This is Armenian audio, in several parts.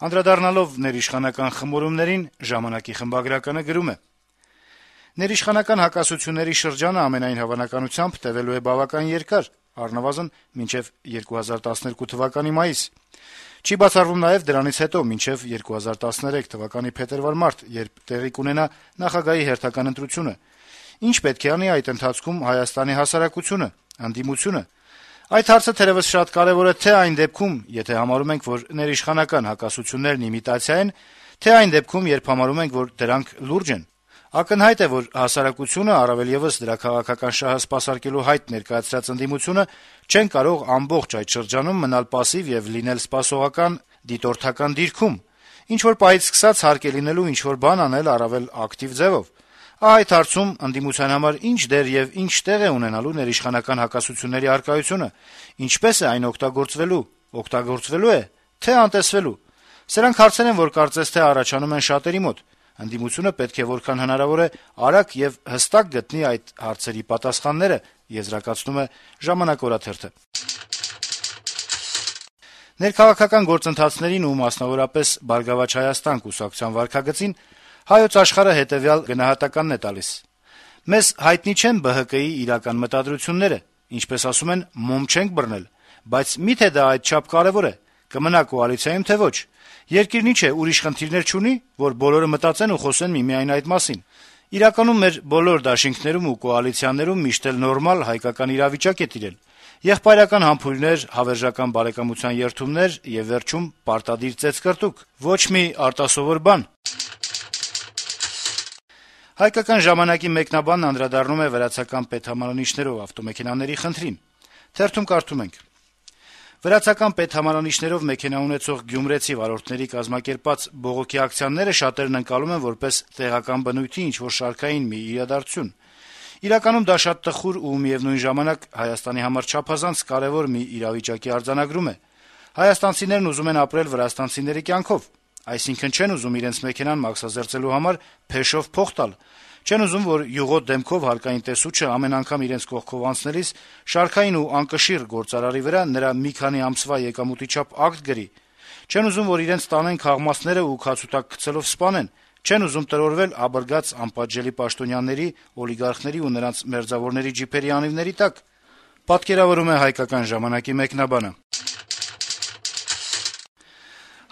Անդրադառնալով ներիշխանական խմորումներին, «Ժամանակ»-ի խմբագրականը գրում է. - «Ներիշխանական հակասությունների շրջանը ամենայն հավանականությամբ տեւելու է բավական երկար, առնվազն մինչեւ 2012 թվականի մայիս: Չի բացառվում նաեւ դրանից հետո մինչեւ 2013 թվականի փետրվար-մարտ, երբ տեղի կունենա նախագահի հերթական ընտրությունը: Ինչ պետք է անի այդ ընթացքում Հայաստանի հասարակությունը, ընդդիմությունը: Այդ հարցը թերեւս շատ կարեւոր է թե այն դեպքում, եթե համարում ենք, որ ներիշխանական հակասություններն իմիտացիա են, թե այն դեպքում, երբ համարում ենք, որ դրանք լուրջ են: Ակնհայտ է, որ հասարակությունը, առավել եւս դրա քաղաքական շահը սպասարկելու հայտ ներկայացրած ընդդիմությունը չեն կարող ամբողջ այդ շրջանում մնալ պասիվ եւ լինել սպասողական, դիտորդական դիրքում: Ինչ-որ պահից սկսած հարկ է լինելու ինչ-որ բան անել առավել ակտիվ ձեւով: Ահա այդ հարցում ընդդիմության համար ինչ դեր եւ ինչ տեղ է ունենալու ներիշխանական հակասությունների առկայությունը, ինչպե՞ս է այն օգտագործվելու է, թե անտեսվելու: Սրանք հարցեր են, որ կարծես թե առաջանում են շատերի մոտ: Ընդդիմությունը պետք է որքան հնարավոր է արագ եւ հստակ գտնի այդ հարցերի պատասխանները», եզրակացնում է «Ժամանակ» օրաթերթը: Ներքաղաքական գործընթացներին ու մասնավորապես «Բարգավաճ Հայաստան» կուսակցության վարքագծին «Հայոց Աշխարհ»-ը հետեւյալ գնահատականն է տալիս. - «Մեզ հայտնի չեն ԲՀԿ-ի իրական մտադրությունները, ինչպես ասում են, մոմ չենք բռնել, բայց մի՞թե դա այդչափ կարեւոր է, կմնա կոալիցիայում, թե ոչ: Երկիրն ինչ է, ուրիշ խնդիրներ չունի, որ բոլորը մտածեն ու խոսեն միմիայն այդ մասին: Իրականում մեր բոլոր դաշինքներում ու կոալիցիաներում միշտ էլ նորմալ հայկական իրավիճակ է տիրել: Եղբայրական համբույրներ, հավերժական բարեկամության երդումներ եւ վերջում պարտադիր ծեծկռտուք: Ոչ մի արտասովոր բան»: «Հայկական ժամանակ»-ի մեկնաբանն անդրադառնում է վրացական պետհամարանիշներով ավտոմեքենաների խնդրին. - «Վրացական պետհամարանիշներով մեքենա ունեցող գյումրեցի վարորդների կազմակերպած բողոքի ակցիաները շատերն ընկալում են որպես տեղական բնույթի ինչ-որ շարքային մի իրադարձություն: Իրականում դա շատ տխուր ու միեւնույն ժամանակ Հայաստանի համար չափազանց կարեւոր մի իրավիճակի արձանագրում է: Հայաստանցիներն ուզում են ապրել վրաստանցիների կյանքով: Այսինքն չեն ուզում իրենց մեքենան մաքսազերծելու համար փեշով փող տալ, չեն ուզում, որ յուղոտ դեմքով հարկային տեսուչը ամեն անգամ իրենց կողքով անցնելիս շարքային ու անկշիռ գործարարի վրա նրա մի քանի ամսվա եկամուտի չափ ակտ գրի, չեն ուզում, որ իրենց տանեն քաղմասները ու քացուտակ գցելով սպանեն, չեն ուզում տրորվել աբռգած անպատժելի պաշտոնյաների, օլիգարխների ու նրանց մերձավորների ջիփերի անիվների տակ»: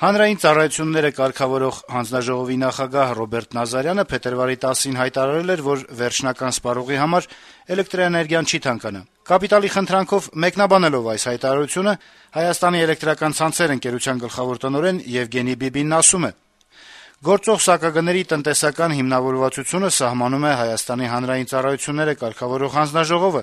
Հանրային ծառայությունները կարգավորող հանձնաժողովի նախագահ Ռոբերտ Նազարյանը փետրվարի 10-ին հայտարարել էր, որ վերջնական սպառողի համար էլեկտրաէներգիան չի թանկանա: «Կապիտալ»-ի խնդրանքով մեկնաբանելով այս հայտարարությունը Հայաստանի էլեկտրական ցանցեր ընկերության գլխավոր տնօրեն Եվգենի Բիբինն ասում է. - «Գործող սակագների տնտեսական հիմնավորվածությունը սահմանում է Հայաստանի հանրային ծառայությունները կարգավորող հանձնաժողովը: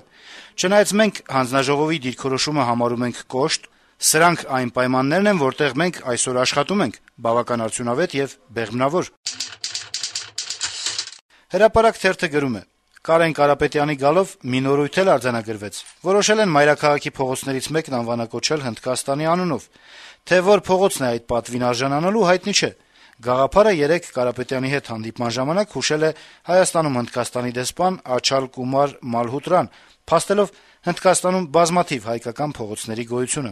Չնայած մենք հանձնաժողովի դիրքորոշումը համարում ենք կոշտ, սրանք այն պայմաններն են, որտեղ մենք այսօր աշխատում ենք, բավական արդյունավետ եւ բեղմնավոր»: «Հրապարակ» թերթը գրում է. - «Կարեն Կարապետյանի գալով մի նորույթ էլ արձանագրվեց: Որոշել են մայրաքաղաքի փողոցներից մեկն անվանակոչել Հնդկաստանի անունով: Թե որ փողոցն է այդ պատվին արժանանալու, հայտնի չէ: Գաղափարը երեկ Կարապետյանի հետ հանդիպման ժամանակ հուշել է Հայաստանում Հնդկաստանի դեսպան Աչալ Կումար Մալհոտրան, փաստելով Հնդկաստանում բազմաթիվ հայկական փողոցների գոյությունը: